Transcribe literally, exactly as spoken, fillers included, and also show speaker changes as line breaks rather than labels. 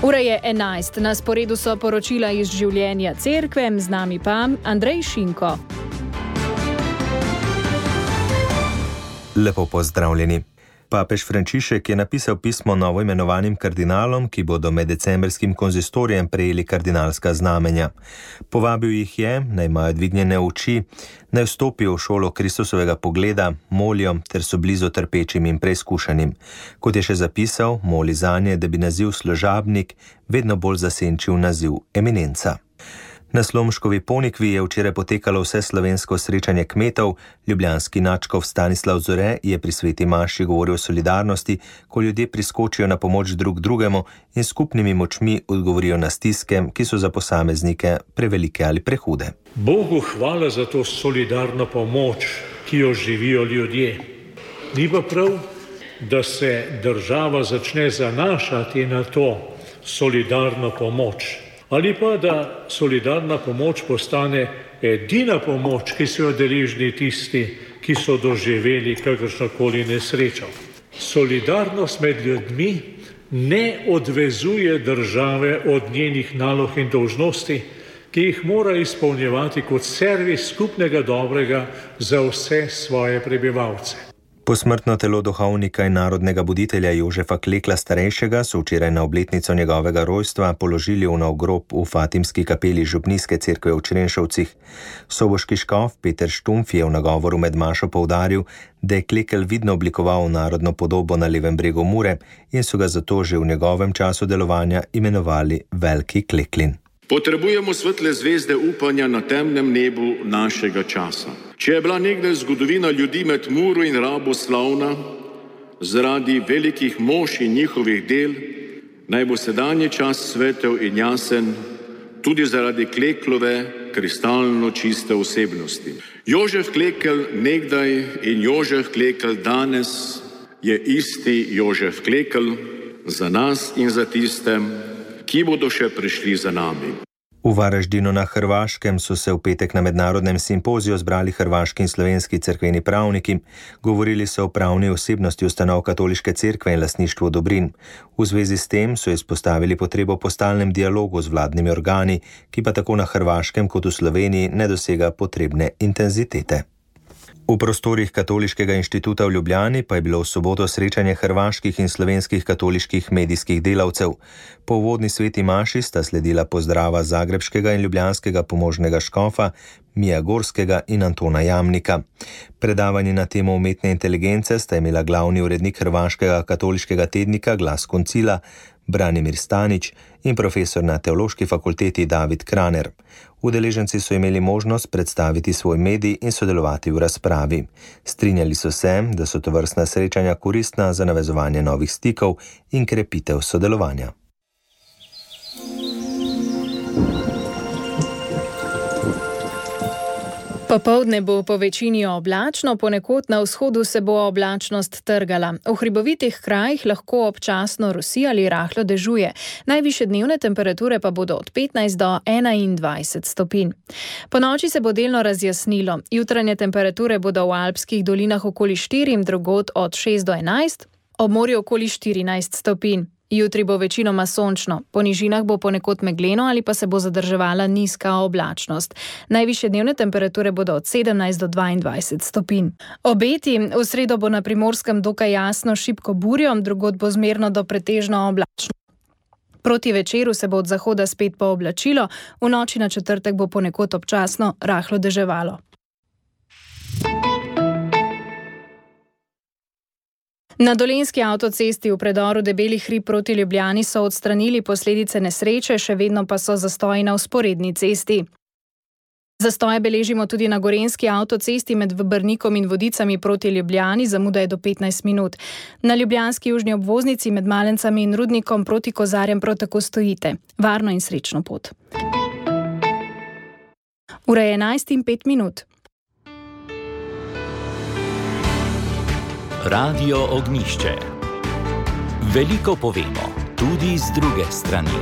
Ura je enajst, na sporedu so poročila iz življenja cerkve, z nami pa Andrej Šinko.
Lepo pozdravljeni. Papež Frančišek je napisal pismo novoimenovanim kardinalom, ki bodo med decembrskim konzistorijem prejeli kardinalska znamenja. Povabil jih je, naj imajo dvignjene oči, naj vstopijo v šolo Kristusovega pogleda, molijo ter so blizu trpečim in preizkušanim. Kot je še zapisal, moli zanje, da bi naziv služabnik vedno bolj zasenčil naziv eminenca. Na Slomškovi Ponikvi je včeraj potekalo vse slovensko srečanje kmetov. Ljubljanski nadškof Stanislav Zore je pri sveti maši govoril o solidarnosti, ko ljudje priskočijo na pomoč drug drugemu in skupnimi močmi odgovorijo na stiske, ki so za posameznike prevelike ali prehude.
Bogu hvala za to solidarno pomoč, ki jo živijo ljudje. Ni pa prav, da se država začne zanašati na to solidarno pomoč. Ali pa, da solidarna pomoč postane edina pomoč, ki so jo deležni tisti, ki so doživeli kakršnokoli nesrečo. Solidarnost med ljudmi ne odvezuje države od njenih nalog in dolžnosti, ki jih mora izpolnjevati kot servis skupnega dobrega za vse svoje prebivalce.
Posmrtno telo duhovnika in narodnega buditelja Jožefa Klekla starejšega so včeraj na obletnico njegovega rojstva položili v nov grob v Fatimski kapeli Župnijske cerkve v Črenšovcih. Soboški škof Peter Štumf je v nagovoru med mašo poudaril, da je Klekel vidno oblikoval narodno podobo na levem bregu Mure in so ga zato že v njegovem času delovanja imenovali Veliki Kleklin.
Potrebujemo svetle zvezde upanja na temnem nebu našega časa. Če je bila nekdaj zgodovina ljudi med Muro in Rabo slavna zaradi velikih mož in njihovih del, naj bo sedanji čas svetel in jasen tudi zaradi Kleklove kristalno čiste osebnosti. Jožef Klekel nekdaj in Jožef Klekel danes je isti Jožef Klekel za nas in za tistem, ki bodo še prišli za nami.
V Varaždinu na Hrvaškem so se v petek na mednarodnem simpoziju zbrali hrvaški in slovenski cerkveni pravniki. Govorili so o pravni osebnosti ustanov katoliške cerkve in lastništvu dobrin. V zvezi s tem so izpostavili potrebo po stalnem dialogu z vladnimi organi, ki pa tako na Hrvaškem kot v Sloveniji ne dosega potrebne intenzitete. V prostorih Katoliškega inštituta v Ljubljani pa je bilo v soboto srečanje hrvaških in slovenskih katoliških medijskih delavcev. Po uvodni sveti maši sta sledila pozdrava zagrebškega in ljubljanskega pomožnega škofa, Mija Gorskega in Antona Jamnika. Predavanje na temo umetne inteligence sta imela glavni urednik hrvaškega katoliškega tednika Glas koncila, Branimir Stanič in profesor na Teološki fakulteti David Kraner. Udeleženci so imeli možnost predstaviti svoj medij in sodelovati v razpravi. Strinjali so se, da so tovrstna srečanja koristna za navezovanje novih stikov in krepitev sodelovanja.
Popoldne bo po večini oblačno, ponekod na vzhodu se bo oblačnost trgala. V hribovitih krajih lahko občasno rosi ali rahlo dežuje. Najvišje dnevne temperature pa bodo od petnajst do enaindvajset stopinj. Ponoči se bo delno razjasnilo. Jutranje temperature bodo v alpskih dolinah okoli štiri, drugod od šest do enajst, ob morju okoli štirinajst stopinj. Jutri bo večinoma sončno, po nižinah bo ponekod megleno ali pa se bo zadrževala nizka oblačnost. Najvišje dnevne temperature bodo od sedemnajst do dvaindvajset stopinj. Obeti: v sredo bo na Primorskem dokaj jasno šibko burjo, drugod bo zmerno do pretežno oblačno. Proti večeru se bo od zahoda spet pooblačilo, v noči na četrtek bo ponekod občasno rahlo deževalo. Na Dolenjski avtocesti v predoru Debeli hrib proti Ljubljani so odstranili posledice nesreče, še vedno pa so zastoji na vzporedni cesti. Zastoje beležimo tudi na Gorenjski avtocesti med Brnikom in Vodicami proti Ljubljani, zamuda je do petnajst minut. Na ljubljanski južni obvoznici med Malencami in Rudnikom proti Kozarjem prav tako stojite. Varno in srečno pot. Ura je enajst in pet minut.
Radio Ognjišče. Veliko povemo, tudi z druge strani.